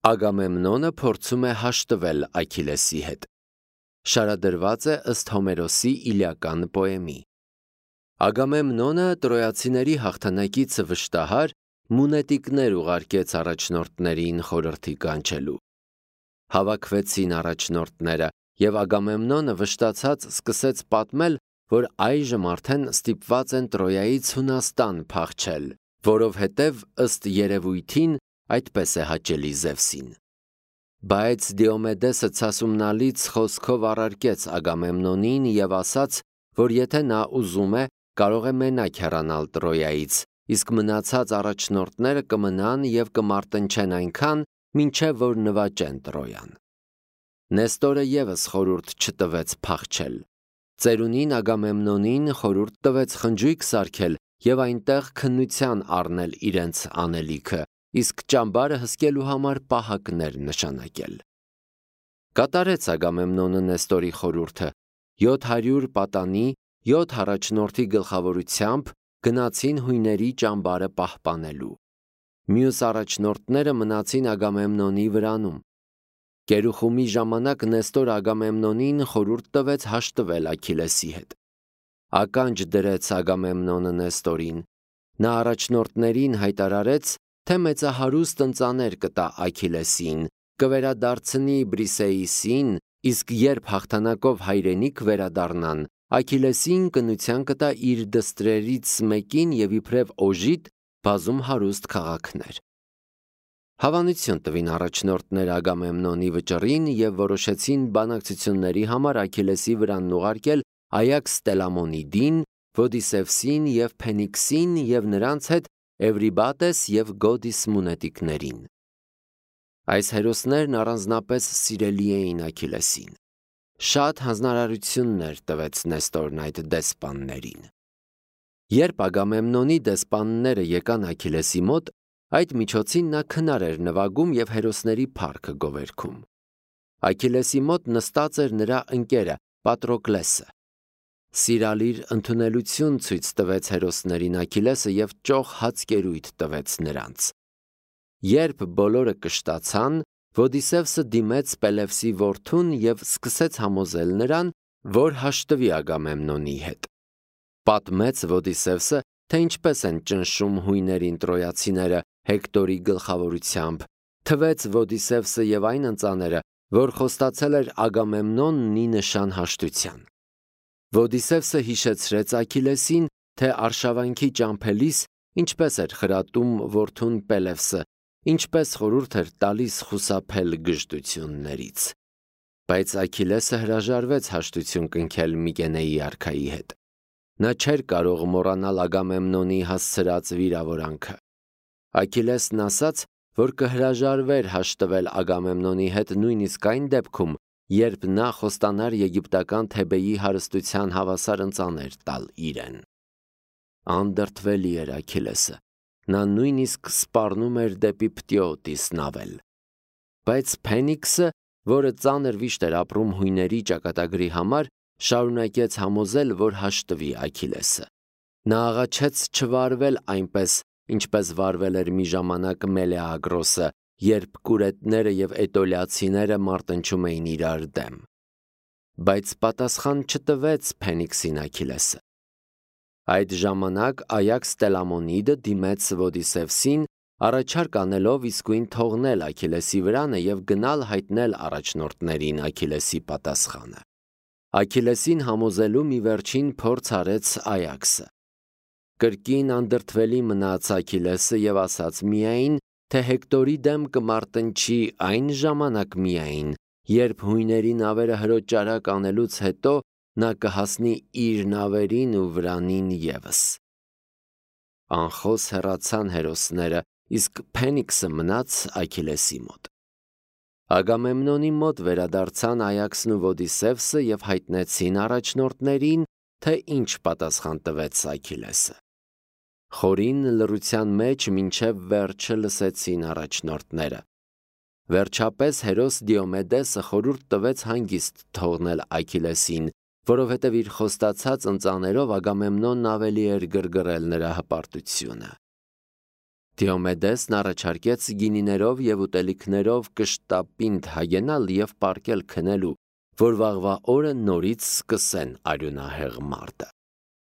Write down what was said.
Ագամեմնոնը փորձում է հաշտվել Աքիլեսի հետ։ Շարադրված է ըստ Հոմերոսի Իլիական պոեմի։ Ագամեմնոնը տրոյացիների հաղթանակից վշտահար մունետիկներ ուղարկեց առաջնորդներին խորհրդի կանչելու։ Հավաքվեցին առաջնորդները, և Ագամեմնոնը վշտացած սկսեց պատմել, որ այժմ արդեն ստիպված են Տրոյայից Հունաստան փախչել, որովհետև ըստ երևույթին այդպես է հաճելի Զևսին։ Բայց Դիոմեդեսը ցասումնալից խոսքով առարկեց Ագամեմնոնին և ասաց, որ եթե նա ուզում է, կարող է մենակ հեռանալ Տրոյայից, իսկ մնացած առաջնորդները կմնան և կմարտնչեն այնքան, մինչև որ նվաճեն Տրոյան։ Նեստորը ևս խորհուրդ չտվեց փախչել։ Ծերունին Ագամեմնոնին խորհուրդ տվեց խնջույք սարքել և այնտեղ քննության առնել իրենց անելիքը, իսկ ճամբարը հսկելու համար պահակներ նշանակել։ Կատարեց Ագամեմնոնը Նեստորի խորհուրդը, 700 պատանի, 7 առաջնորդի գլխավորությամբ գնացին հույների ճամբարը պահպանելու։ Մյուս առաջնորդները մնացին Ագամեմնոնի վրանում։ Կերուխումի ժամանակ Նեստորը Ագամեմնոնին խորհուրդ տվեց հաշտվել Աքիլեսի հետ։ Ականջ դրեց Ագամեմնոնը Նեստորին։ Նա առաջնորդներին հայտարարեց, թե մեծահարուստ ընծաներ կտա Աքիլեսին, կվերադարձնի Բրիսեիսին, իսկ երբ հաղթանակով հայրենիք վերադառնան, Աքիլեսին կնության կտա իր դստրերից մեկին և իբրև օժիտ բազում հարուստ քաղաքներ։ Հավանություն տվին առաջնորդները Ագամեմնոնի վճռին և որոշեցին բանակցությունների համար Աքիլեսի վրանն ուղարկել Այաքս Տելամոնիդին, Ոդիսևսին և Փենիքսին և նրանց հետ Էվրիբատես և Գոդիս մունետիկներին։ Այս հերոսներն առանձնապես սիրելի էին Աքիլեսին։ Շատ հանձնարարություններ տվեց Նեստորն այդ դեսպաններին։ Երբ Ագամեմնոնի դեսպանները եկան Աքիլեսի մոտ, այդ միջոցին նա քնար էր նվագում և հերոսների փառքը գովերգում։ Աքիլեսի մոտ նստած էր նրա ընկերը Պատրոկլեսը։ Սիրալիր ընդունելություն ցույց տվեց հերոսներին Աքիլեսը և ճոխ հացկերույթ տվեց նրանց։ Երբ բոլորը կշտացան, Ոդիսևսը դիմեց Պելևսի որդուն և սկսեց համոզել նրան, որ հաշտվի Ագամեմնոնի հետ։ Պատմեց Ոդիսևսը, թե ինչպես են ճնշում հույներին տրոյացիները Հեկտորի գլխավորությամբ, թվեց Ոդիսևսը և այն ընծաները, որ խոստացել էր Ագամեմնոնն ի նշան հաշտության։ Ոդիսևսը հիշեցրեց Աքիլեսին, թե արշավանքի ճամփելիս ինչպես էր խրատում որդուն Պելևսը, ինչպես խորհուրդ էր տալիս խուսափել գժտություններից։ Բայց Աքիլեսը հրաժարվեց հաշտություն կնքել Միգենեի արքայի հետ։ Նա չէր կարող մոռանալ Ագամեմնոնի հասցրած վիրավորանքը։ Աքիլեսն ասաց, որ կհրաժարվեր հաշտվել Ագամեմնոնի հետ նույնիսկ այն դեպքում, երբ նա խոստանար եգիպտական Թեբեի հարստության հավասար ընծաներ տալ իրեն։ Անդրդվելի էր Աքիլեսը։ Նա նույնիսկ սպառնում էր դեպի Պտիոտիս նավել։ Բայց Փենիքսը, որը ծանր վիշտ էր ապրում հույների ճակատագրի համար, շարունակեց համոզել, որ հաշտվի Աքիլեսը։ Նա աղաչեց չվարվել այնպես, ինչպես վարվել էր մի ժամանակ Մելեագրոսը, երբ կուրետները և էտոլիացիները մարտնչում էին իրար դեմ։ Բայց պատասխան չտվեց Փենիքսին Աքիլեսը։ Այդ ժամանակ Այաքս Տելամոնիդը դիմեց Ոդիսևսին, առաջարկ անելով իսկույն թողնել Աքիլեսի վրանը և գնալ հայտնել առաջնորդներին Աքիլեսի պատասխանը։ Աքիլեսին համոզելու մի վերջին փորձ արեց Այաքսը։ Կրկին անդրդվելի մնաց Աքիլեսը և ասաց միայն, թե Հեկտորի դեմ կմարտնչի այն ժամանակ միայն, երբ հույների նավերը հրոճարակ անելուց հետո նա կհասնի իր նավերին ու վրանին ևս։ Անխոս հեռացան հերոսները, իսկ Փենիքսը մնաց Աքիլեսի մոտ։ Ագամեմնոնի մոտ վերադարձան Այաքսն ու Ոդիսևսը և հայտնեցին առաջնորդներին, թե ինչ պատասխան տվեց Աքիլեսը։ Խորին լռության մեջ մինչև վերջը լսեցին առաջնորդները։ Վերջապես հերոս Դիոմեդեսը խորհուրդ տվեց հանգիստ թողնել Աքիլեսին, որովհետև իր խոստացած ընծաներով Ագամեմնոնն ավելի էր գրգռել նրա հպարտությունը։ Դիոմեդեսն առաջարկեց գինիներով և ուտելիքներով կշտապինդ հագենալ և պառկել քնելու, որ վաղվա օրը նորից սկսեն արյունահեղ մարտը։